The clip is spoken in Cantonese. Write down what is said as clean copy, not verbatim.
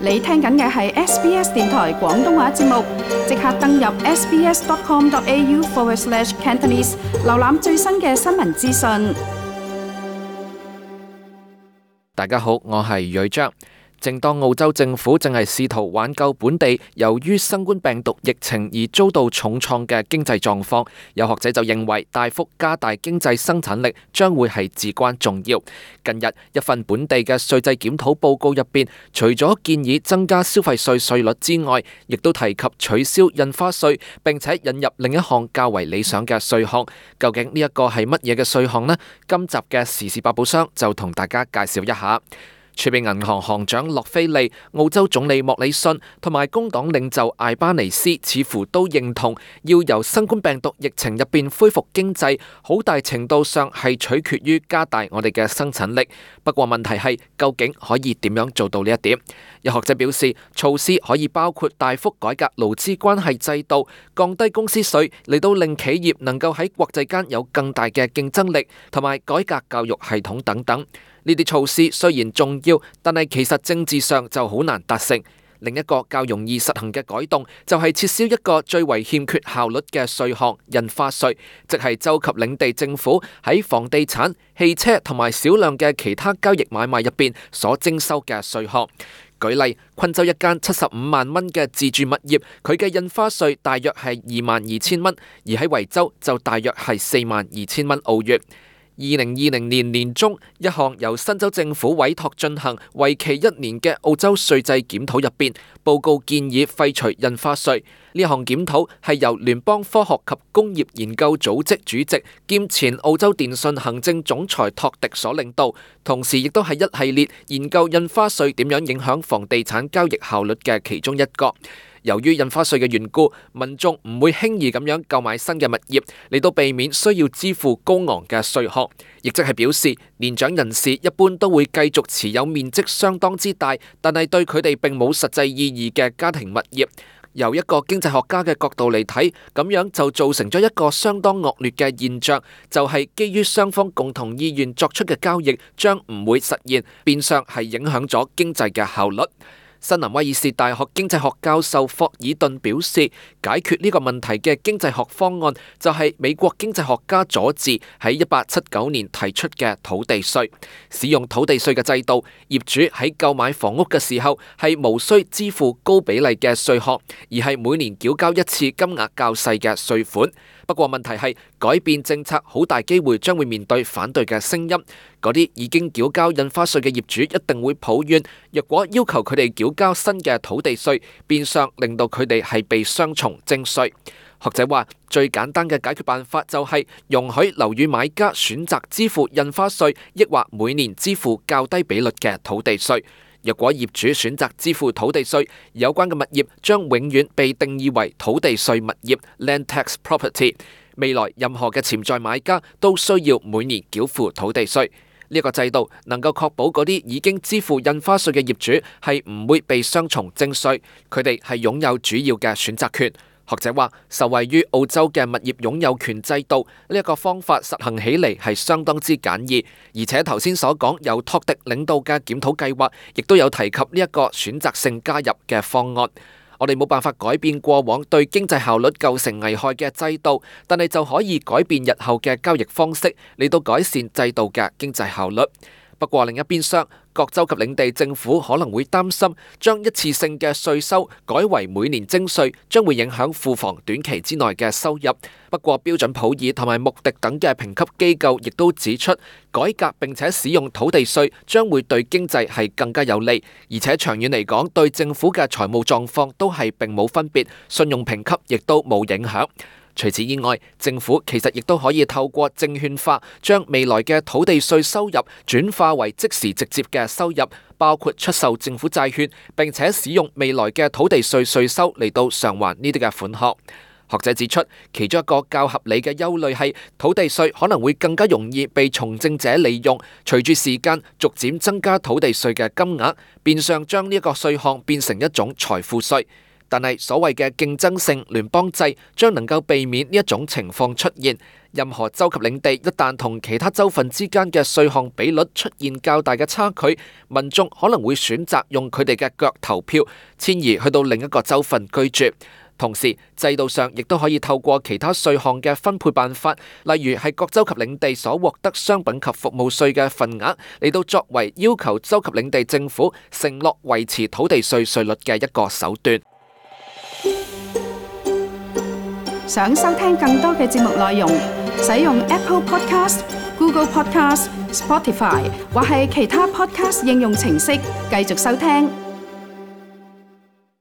你聽緊嘅係 SBS 電台廣東話節目，即刻登入 sbs.com.au/cantonese 瀏覽最新嘅新聞資訊。大家好，我係瑞章。正當澳洲政府正係試圖挽救本地由於新冠病毒疫情而遭到重創嘅經濟狀況，有學者就認為大幅加大經濟生產力將會係至關重要。近日一份本地嘅稅制檢討報告入邊，除咗建議增加消費稅稅率之外，亦都提及取消印花稅，並且引入另一項較為理想嘅稅項。究竟呢一個係乜嘢嘅稅項呢？今集嘅時事百寶箱就同大家介紹一下。儲備銀行行長洛菲利、澳洲總理莫里遜同埋工黨領袖艾巴尼斯似乎都認同，要由新冠病毒疫情入邊恢復經濟，好大程度上係取決於加大我哋嘅生產力。不過問題係，究竟可以點樣做到呢一點？有學者表示，措施可以包括大幅改革勞資關係制度，降低公司稅，嚟到令企業能夠喺國際間有更大嘅競爭力，同埋改革教育系統等等。呢啲措施雖然重要，但係其實政治上就好難達成。另一個較容易實行嘅改動，就係撤銷一個最為欠缺效率嘅稅項——印花稅，即係州及領地政府喺房地產、汽車同埋少量嘅其他交易買賣入邊所徵收嘅稅項。舉例，昆州一間75萬蚊嘅自住物業，佢嘅印花稅大約係22,000蚊，而喺維州就大約係42,000蚊澳元。2020年年中，一項由新州政府委託進行、為期1年嘅澳洲稅制檢討入邊，報告建議廢除印花稅。呢項檢討係由聯邦科學及工業研究組織主席兼前澳洲電信行政總裁托迪所領導，同時亦都係一系列研究印花稅點樣影響房地產交易效率嘅其中一個。由於印花稅嘅緣故，民眾唔會輕易咁樣購買新嘅物業，嚟到避免需要支付高昂嘅稅項，亦即係表示年長人士一般都會繼續持有面積相當之大，但係對佢哋並冇實際意義嘅家庭物業。由一個經濟學家嘅角度嚟睇，咁樣就造成咗一個相當惡劣嘅現象，就係基於雙方共同意願作出嘅交易將唔會實現，變相係影響咗經濟嘅效率。新南威爾士大學經濟學教授霍爾頓表示，解決呢個問題嘅經濟學方案就係美國經濟學家佐治喺1879年提出嘅土地稅。使用土地稅嘅制度，業主喺購買房屋嘅時候係無需支付高比例嘅稅項，而係每年繳交一次金額較細嘅稅款。不過問題係，改變政策好大機會將會面對反對嘅聲音。嗰啲已經繳交印花稅嘅業主一定會抱怨，若果要求佢哋繳交新嘅土地稅，變相令到佢哋係被雙重徵稅。學者話，最簡單嘅解決辦法就係容許樓宇買家選擇支付印花稅，抑或每年支付較低比率嘅土地稅。若果業主選擇支付土地稅，有關嘅物業將永遠被定義為土地稅物業 （land tax property）。未來任何嘅潛在買家都需要每年繳付土地稅。呢個制度能夠確保嗰啲已經支付印花稅嘅業主係唔會被雙重徵稅，佢哋係擁有主要嘅選擇權。學者話，受惠於澳洲嘅物業擁有權制度，呢一個方法實行起嚟係相當之簡易，而且頭先所講由托迪領導嘅檢討計劃，亦都有提及呢一個選擇性加入嘅方案。我哋冇辦法改變過往對經濟效率構成危害嘅制度，但係就可以改變日後嘅交易方式，嚟到改善制度嘅經濟效率。不過另一邊廂，各州及領地政府可能會擔心，將一次性嘅稅收改為每年徵稅，將會影響庫房短期之內嘅收入。不過標準普爾同埋穆迪等嘅評級機構亦都指出，改革並且使用土地稅將會對經濟係更加有利，而且長遠嚟講對政府嘅財務狀況都係並冇分別，信用評級亦都冇影響。除此以外，政府其實亦都可以透過證券化，將未來嘅土地稅收入轉化為即時直接嘅收入，包括出售政府債券，並且使用未來嘅土地稅稅收嚟到償還呢啲嘅款項。學者指出，其中一個較合理嘅憂慮係土地稅可能會更加容易被從政者利用，隨住時間逐漸增加土地稅嘅金額，變相將呢一個稅項變成一種財富稅。但係所謂嘅競爭性聯邦制將能夠避免呢一種情況出現。任何州及領地一旦同其他州份之間嘅稅項比率出現較大嘅差距，民眾可能會選擇用佢哋嘅腳投票，遷移去到另一個州份居住。同時，制度上亦都可以透過其他稅項嘅分配辦法，例如係各州及領地所獲得商品及服務稅嘅份額，嚟到作為要求州及領地政府承諾維持土地稅稅率嘅一個手段。想收聽更多嘅節目內容，使用 Apple Podcast、Google Podcast、Spotify 或係其他 Podcast 應用程式繼續收聽。